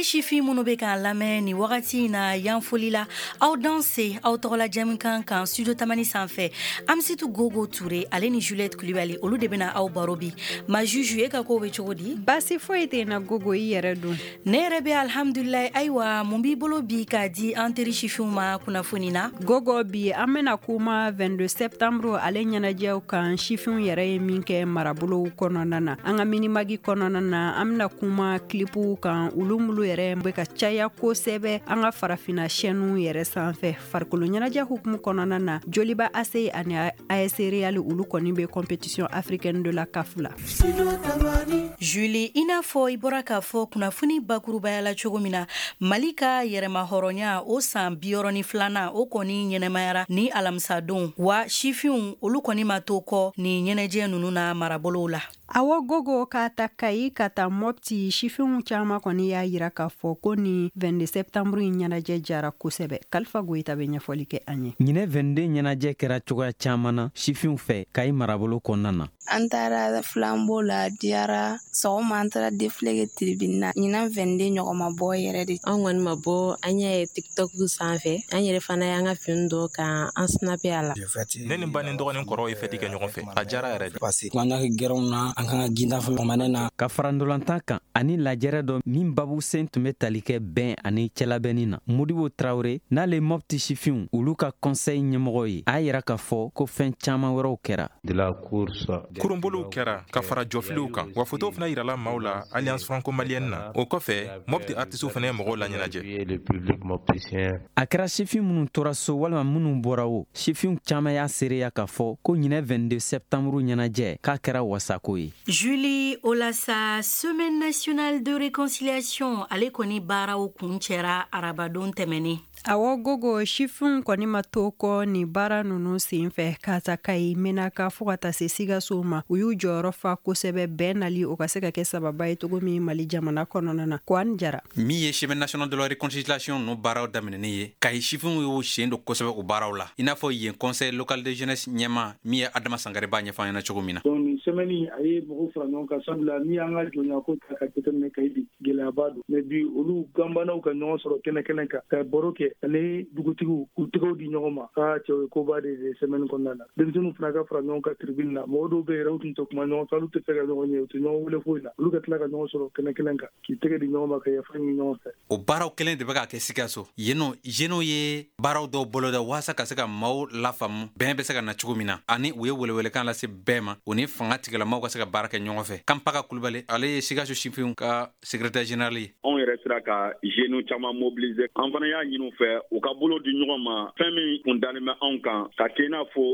teri sifin minnu bɛ k'an lamɛn nin wagati in na, yan foli la, aw danse aw tɔgɔla jɛmukan kan Studio Tamani sanfɛ. Amisitu Gogo Ture, ale ni Juliette Kulibali, olu de bɛna aw baro bi. Ma Juju, e ka kow bɛ cogo di? Basi foyi tɛ na Gogo, i yɛrɛ dun? Ne yɛrɛ bɛ, alhamdulilayi. Ayiwa, mun b'i bolo bi k'a di an teri sifinw ma kunnafoni na? Gogo, bi an bɛna kuma 22 septembre ale ɲɛnajɛw kan, sifinw yɛrɛ ye min kɛ marabolow kɔnɔna na. An ka Mini-Mag kɔnɔna na, an bɛna kuma clipw kan, olu mulu yɛrɛ bɛ ka caya kosɛbɛ an ka farafinna chaîne yɛrɛ sanfɛ. Farikolo ɲɛnajɛ hukumu kɔnɔna na, Joliba AC ani AS Real, olu kɔni bɛ compétition africaine de la CAF la. Julie, i n'a fɔ i bɔra k'a fɔ kunnafoni bakurubaya la cogo min na, Mali ka yɛrɛma hɔrɔnya o san 62nan, o kɔni ɲɛnɛmayara ni alamisadon wa. Sifinw, olu kɔni ma to kɔ ni ɲɛnajɛ ninnu na marabolow la. Awɔ Gogo, k'a ta Kayi ka taa Mɔpti, sifinw caman kɔni y'a yira k'a fɔ ko ni 22 septembre in ɲɛnajɛ jara kosɛbɛ. Kalifa Goyita bɛ ɲɛfɔli kɛ an ye. Ɲinɛ 22 ɲɛnajɛ kɛra cogoya caman na sifinw fɛ Kayi marabolo kɔnɔna na. An taara flambeau la, diyara. Sɔgɔma, an taara défilé kɛ tribune na. Ɲinan 22 ɲɔgɔn ma bɔ yɛrɛ de. An kɔni ma bɔ, an y'a ye TikTok sanfɛ. An yɛrɛ fana y'an ka fini dɔ kan an snapé a la. Ne ni ba ni dɔgɔnin kɔrɔw ye fɛti kɛ ɲɔgɔn fɛ, a diyara yɛrɛ de. Parce que an ka gɛrɛnw na, an kan ka ginda fana na. Ka fara ndolantan kan ani lajɛrɛ dɔ min babu sen tun bɛ tali kɛ bɛn ani cɛlabɛnni na, Modibo Tarawele, n'ale Mɔpti sifinw olu ka conseil ɲɛmɔgɔ ye, a y'a yira k'a fɔ ko fɛn caman wɛrɛw kɛra. Kurunboliw kɛra ka fara jɔfiliw kan wa, fotow fana yirala maaw la Alliance franco malienne na. O kɔfɛ, Mɔpti artisiw fana ye mɔgɔw laɲɛnajɛ. A kɛra sifin minnu tora so walima minnu bɔra o, sifinw caman y'a seereya k'a fɔ ko ɲinɛ 22 septembre ɲɛnajɛ k'a kɛra wasako ye. Julie, o la sa, Semaine nationale de réconciliation, ale kɔni baaraw kuncɛra arabadon tɛmɛnen. Awɔ Gogo, sifinw kɔni ma to kɔ nin baara ninnu sen fɛ. K'a ta Kayi, Menaka, fo ka taa se Sikaso ma, u y'u jɔyɔrɔ fa kosɛbɛ bɛn nali o ka se ka kɛ sababa ye cogo min Mali jamana kɔnɔna na. Ko Jara. Min ye Semaine nationale de la réconciliation ninnu baaraw daminɛnen ye, Kayi sifinw y'u sen don kosɛbɛ o baaraw la, i n'a fɔ yen conseil local de jeunesse ɲɛma min ye Adama Sangare b'a ɲɛfɔ an ɲɛna cogo min na. Donc nin semaine, a ye mɔgɔw fara ɲɔgɔn kan, sabula n'i y'an ka jɔnya ko ta ka jateminɛ Kayi bi, gɛlɛyaba don. Mais bi, olu ganbanaw ka ɲɔgɔn sɔrɔ kɛnɛ kɛnɛ kan ka baro kɛ ani dugutigiw k'u tɛgɛw di ɲɔgɔn ma, aa cɛw ye, koba de ye semaine kɔnɔna na. Denmisɛnninw fana ka fara ɲɔgɔn kan tribune na. Mɔgɔ dɔw bɛ yɛrɛ, u tun tɛ kuma ɲɔgɔn fɛ, olu tɛ fɛ ka ɲɔgɔn ye, u tɛ ɲɔgɔn wele foyi la, olu ka tila ka ɲɔgɔn sɔrɔ kɛnɛ kelen kan k'i tɛgɛ di ɲɔgɔn ma ka yafa ɲini ɲɔgɔn fɛ. O baaraw kelen de bɛ ka kɛ Sikaso yen nɔ. Jeunes ye baaraw dɔw boloda waasa ka se ka maaw lafaamu bɛn bɛ se ka na cogo min na, ani u ye welewelekan lase bɛɛ ma, u ni fanga tigilamaw ka se ka baara kɛ ɲɔgɔn fɛ. Kanpaga Kulubali, ale ye Sikaso sifinw ka secrétaire général ye. Anw yɛrɛ sera ka jeunes caman mobiliser. An fana y'a ɲini u fɛ u ka bolo di ɲɔgɔn ma. Fɛn min kun dalen bɛ anw kan ka kɛ i n'a fɔ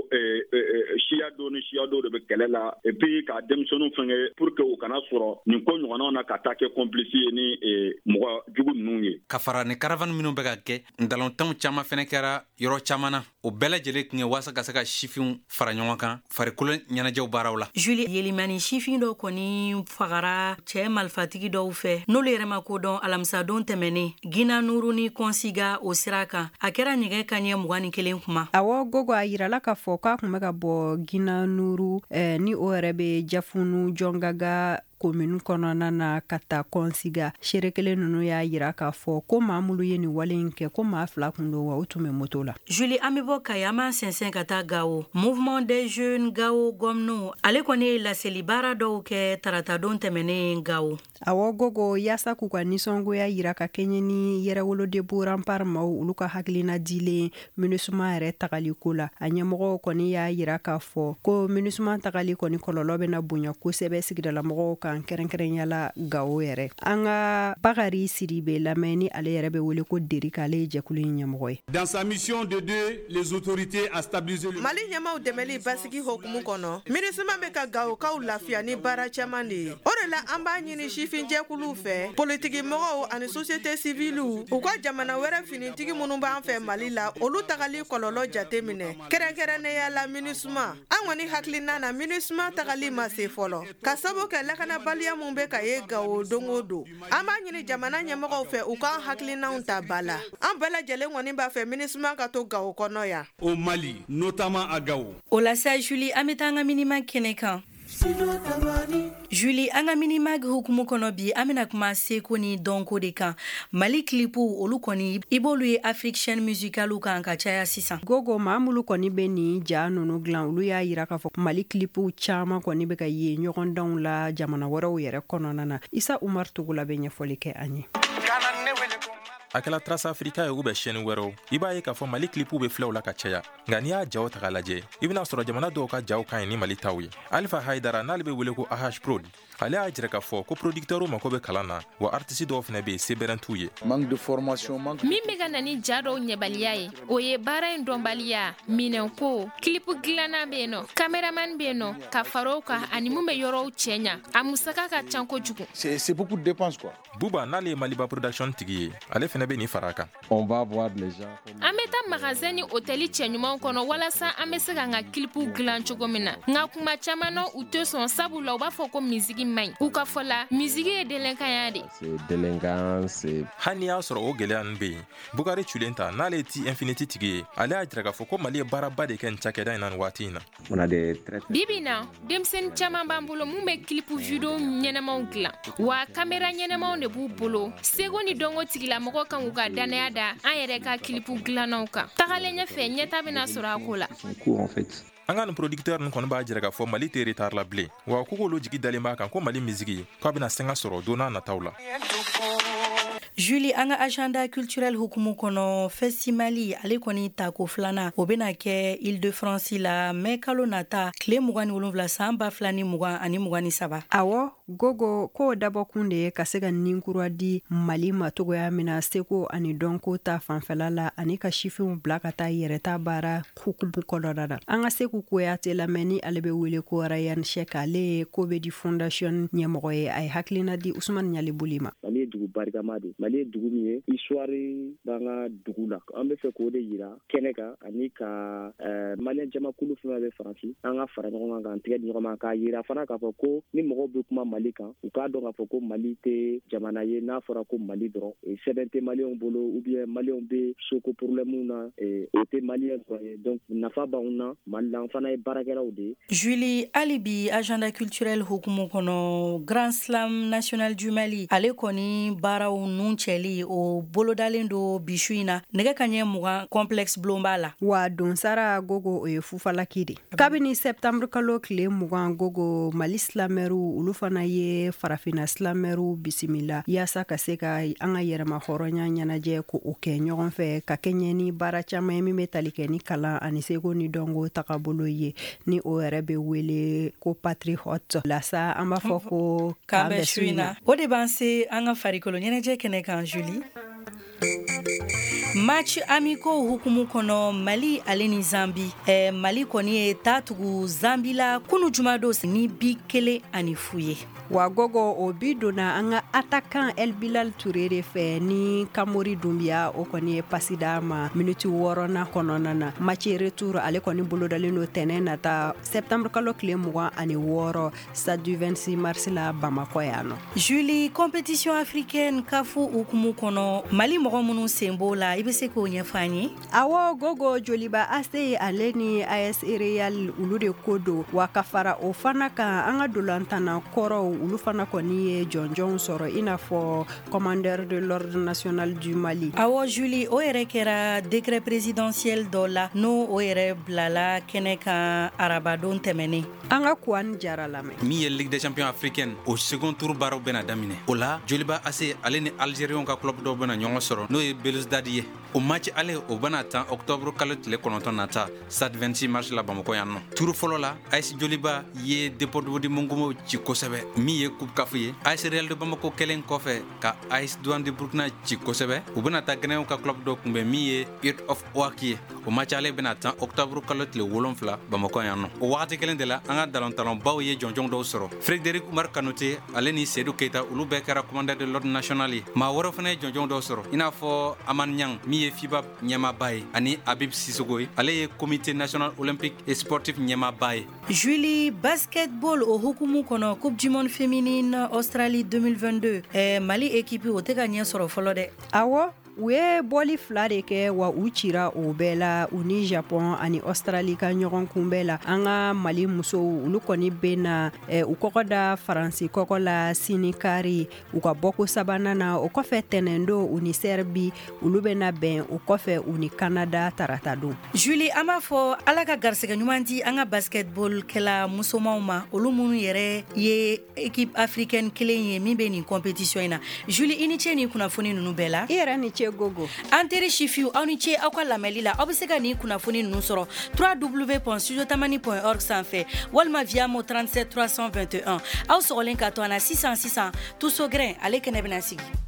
siya dɔ ni siya dɔw de bɛ kɛlɛ la, et puis ka denmisɛnninw fɛngɛ pour que u kana sɔrɔ nin ko ɲɔgɔnnaw na ka taa kɛ complice ye ni mɔgɔ jugu ninnu ye. Ka fara ni caravane minnu bɛ ka kɛ, ntalontanw caman fɛnɛ kɛra yɔrɔ caman na. O bɛɛ lajɛlen tun ye waasa ka se ka sifinw fara ɲɔgɔn kan farikolo ɲɛnajɛw baaraw la. Julie, Yelimani sifin dɔ kɔni fagara cɛɛ malifatigi dɔw fɛ n'olu yɛrɛ ma ko dɔn alamisadon tɛmɛnen Gina Nuru ni Kɔnsiga o sira kan. A kɛra nɛgɛ kaɲɛ 21 kuma. Awɔ Gogo, a yirala k'a fɔ k'a tun bɛ ka bɔ Gina Nuru ni o yɛrɛ bɛ Jafunu Jɔngaga komini kɔnɔna na ka taa Kɔnsiga. Seere kelen ninnu y'a yira k'a fɔ ko maa minnu ye nin wale in kɛ, ko maa fila kun don wa u tun bɛ moto la. Julie, an bɛ bɔ Kayi, an b'an sɛnsɛn ka taa Gawo. Mouvement des jeunes Gawo Gɔmnu, ale kɔni ye laseli baara dɔw kɛ taratadon tɛmɛnen Gawo. Awɔ Gogo, yaasa k'u ka nisɔngoya yira ka kɛɲɛ ni Yɛrɛwolo Debout Rempart maaw olu ka hakilina dilen MINUSMA yɛrɛ tagali ko la, a ɲɛmɔgɔw kɔni y'a yira k'a fɔ ko MINUSMA tagali kɔni kɔlɔlɔ bɛna bonya kosɛbɛ sigidalamɔgɔw kan, kɛrɛnkɛrɛnya Gawo yɛrɛ. An ka Bakari Sidibe lamɛn, ni ale yɛrɛ bɛ wele ko Derika, ale ye jɛkulu in ɲɛmɔgɔ ye. Dans sa mission d'aider les autorités à stabiliser le Mali ɲɛmaw dɛmɛli basigi hokumu kɔnɔ, MINUSMA bɛ ka Gawokaw lafiya ni baara caman de ye. O de la, an b'a ɲini sifinjɛkuluw fɛ, politiki mɔgɔw ani société civile, u ka jamana wɛrɛ finitigi minnu b'an fɛ Mali la, olu tagali kɔlɔlɔ jate minɛ, kɛrɛnkɛrɛnnenya la MINUSMA. An kɔni hakilina na, MINUSMA tagali ma se fɔlɔ, ka sabu kɛ lakanabaliya mun bɛ ka ye Gawo don o don. An b'a ɲini jamana ɲɛmɔgɔw fɛ u k'an hakilinaw ta ba la. An bɛɛ lajɛlen kɔni b'a fɛ MINUSMA ka to Gawo kɔnɔ yan. Au Mali, notamment à Gao. O la sa Julie, an bɛ taa an ka Mini-Mag kɛnɛ kan. Julie, an ka Minimag hukumu kɔnɔ bi, an bɛna kuma seko ni dɔnko de kan. Mali clipw, olu kɔni, i b'olu ye Afrique chaîne musicale kan ka caya sisan. Gogo, maa minnu kɔni bɛ nin ja ninnu dilan, olu y'a yira k'a fɔ Mali clipw caman kɔni bɛ ka ye ɲɔgɔndanw la jamana wɛrɛw yɛrɛ kɔnɔna na. Isa Umar Togola bɛ ɲɛfɔli kɛ an ye. A kɛla Trace Africa ye ou bien chaîne wɛrɛw, i b'a ye k'a fɔ Mali clipw bɛ filɛw la ka caya. Nka n'i y'a jaw ta k'a lajɛ, i bɛna sɔrɔ jamana dɔw ka jaw ka ɲi ni Mali taw ye. Alpha Haidara, n'ale bɛ wele ko AH Prod, ale y'a jira k'a fɔ ko producteurw mako bɛ kalan na, wa artiste dɔw fana bɛ yen, sebɛrɛn t'u ye. Manque de formation, manque. Min bɛ ka na ni ja dɔw ɲɛbaliya ye, o ye baara in dɔnbaliya, minɛnko, clip dilanna bɛ yen nɔ, caméraman bɛ yen nɔ, ka fara o kan, ani mun bɛ yɔrɔw cɛɲa, a musaka ka ca kojugu. C'est beaucoup de dépenses, quoi. Buba, n'ale ye Maliba Production tigi ye, ale fana bɛ nin fara a kan. On va voir les gens. An bɛ taa magasin ni hôtel cɛɲumanw kɔnɔ walasa an bɛ se k'an ka clipw dilan cogo min na, nka kuma caman na, u tɛ sɔn, sabula u b'a fɔ ko misigi man ɲi. U ka fɔ la, misigi ye délinquant de. C'est délinquant, c'est Hali n'i y'a sɔrɔ o gɛlɛya ninnu bɛ yen, Bukari Culen ta, n'ale ye T Infinity tigi ye, ale y'a jira k'a fɔ ko Mali ye baaraba de kɛ nin cakɛda in na nin waati in na. On a des très Bibi na, denmisɛnnin caman b'an bolo mun bɛ clip vidéo ɲɛnɛmaw dilan, wa caméra ɲɛnɛmaw de b'u bolo. Seko ni dɔnko tigilamɔgɔ kan k'u ka danaya da an yɛrɛ ka clip dilannaw kan. Tagalen ɲɛfɛ, ɲɛta bɛna sɔrɔ a ko la. Court en fait. An ka nin producteur ninnu kɔni b'a jira k'a fɔ Mali tɛ retard la bilen, wa ko k'olu jigi dalen b'a kan ko Mali misigi k'a bɛna sanga sɔrɔ don n'a nataw la. Julie, an ka agenda culturel hukumu kɔnɔ, Festimali, ale kɔni tako filanan, o bɛna kɛ Ile de France la mai kalo nata tile 27 san 2023. Awɔ Gogo, k'o dabɔkun de ye ka se ka ninkura di Mali ma togoya min na seko ani dɔnko ta fanfɛla la, ani ka sifinw bila ka taa yɛrɛta baara hukumu kɔnɔna na. An ka Seku Kuyate lamɛn, ni ale bɛ wele ko Rayan Shek, ale ye ko bɛ di fondation ɲɛmɔgɔ ye. A ye hakilina di Usumani Ɲalibuli ma. Mali ye dugu barikama de. Mali ye dugu min ye, histoire b'an ka dugu la. An bɛ fɛ k'o de yira kɛnɛ kan, ani ka maliyɛn jamakulu fɛn bɛ Faransi, an ka fara ɲɔgɔn kan k'an tigɛ di ɲɔgɔn ma, k'a yira fana k'a fɔ ko ni mɔgɔw bɛ kuma Mali kan, u k'a dɔn k'a fɔ ko Mali tɛ jamana ye n'a fɔra ko Mali dɔrɔn, sɛbɛn tɛ maliyɛnw bolo ou bien maliyɛnw bɛ soko problème na, o tɛ maliyɛn dɔrɔn ye. Donc nafa b'anw na Mali la, an fana ye baarakɛlaw de ye. Julie, hali bi agenda culturel hukumu kɔnɔ, Grand Slam national du Mali, ale kɔni baaraw nun cɛli, o bolodalen do bi su in na nɛgɛ ka ɲɛ 20 complexe Blonba la. Wa donsara Gogo, o ye fufalaki de. Kabini septembre kalo tile 20, Gogo, Mali slameurw, olu fana ye farafinna slameurw bisimila yaasa ka se ka an ka yɛrɛma hɔrɔnya ɲɛnajɛ ko o kɛ ɲɔgɔn fɛ, ka kɛɲɛ ni baara caman ye min bɛ tali kɛ ni kalan ani seko ni dɔnko tagabolo ye, ni o yɛrɛ bɛ wele ko patriote lasa. An b'a fɔ ko k'an bɛ su in na. O de b'an se an ka farikolo ɲɛnajɛ kɛnɛ kan, Julie. Match amicaux hukumu kɔnɔ, Mali ale ni Zambi, Mali kɔni ye taa tugu Zambi la kunu jumadon ni bi 1-0 ye. Wa Gogo, o bi donna an ka attaquant El Bilal Touré de fɛ, ni Kamori Dunbiya, o kɔni ye pasi d'a ma miniti wɔɔrɔnan kɔnɔna na. Match retour, ale kɔni bolodalen don tɛnɛn nata septembre kalo tile 26 stade du 26 mars la Bamakɔ yan nɔ. Julie, compétition africaine CAF hukumu kɔnɔ, Mali mɔgɔ minnu sen b'o la, i bɛ se k'o ɲɛfɔ an ye? Awɔ Gogo, Joliba AC ale ni AS Real, olu de ko don. Wa ka fara o fana kan, an ka dolantanna kɔrɔw, olu fana kɔni ye jɔnjɔnw sɔrɔ, i n'a fɔ commandeur de l'ordre national du Mali. Awɔ Julie, o yɛrɛ kɛra décret présidentiel dɔ la, n'o o yɛrɛ bilala kɛnɛ kan arabadon tɛmɛnen. An ka Kuwani Jara lamɛn. Min ye Ligue des champions africaine, o second tour baaraw bɛna daminɛ. O la, Joliba AC ale ni Algériens ka club dɔw bɛna ɲɔgɔn sɔrɔ, n'o ye Belouizdad ye. O match ale, o bɛna tan octobre kalo tile 9 nata stade 26 mars la Bamakɔ yan nɔ. Tour fɔlɔ la, AS Joliba ye Deportivo de Mongomo ci kosɛbɛ. Min ye Coupe CAF ye, AS Real de Bamako kɛlen kɔfɛ ka AS Douane de Burkina ci kosɛbɛ, u bɛna taa Guinéenw ka club dɔ kunbɛn min ye Heart of Oak ye. O match ale bɛna tan octobre kalo tile 7 Bamakɔ yan nɔ. O wagati kelen de la, an ka dalantalonbaw ye jɔnjɔn dɔw sɔrɔ. Frédéric Umar Kanute ale ni Seydou Keita, olu bɛɛ kɛra commandeur de l'ordre national ye. Maa wɛrɛw fana ye jɔnjɔn dɔw sɔrɔ, i n'a fɔ Aman Niang min ye FIBA ɲɛmaaba ye, ani Habib Sissoko ye, ale ye comité national olympique et sportif ɲɛmaaba ye. Julie, basketball o hukumu kɔnɔ, Coupe du monde féminine Australie 2022, Mali équipe o tɛ ka ɲɛ sɔrɔ fɔlɔ dɛ. Awɔ. U ye bɔli fila de kɛ, wa u cira o bɛɛ la, u ni Japon ani Australie ka ɲɔgɔn kunbɛn la. An ka Mali musow, olu kɔni bɛ na u kɔkɔ da Faransi kɔkɔ la sini kari, u ka bɔko sabanan na. O kɔfɛ, tɛnɛndon, u ni Serbie, olu bɛna bɛn. O kɔfɛ, u ni Canada tarata don. Julie, an b'a fɔ Ala ka garisɛgɛ ɲuman di an ka basketball kɛla musomanw ma, olu minnu yɛrɛ ye équipe africaine kelen ye min bɛ nin compétition in na. Julie, i ni ce nin kunnafoni ninnu bɛɛ la. I yɛrɛ ni ce, Gogo. An teri sifiw, aw ni ce aw ka lamɛnli la. Aw bɛ se ka nin kunnafoni ninnu sɔrɔ www.studiotamani.org sanfɛ walima via mo 37 321. Aw sɔgɔlen ka to an na sisan sisan, Tuso Grin ale kɛnɛ bɛna sigi.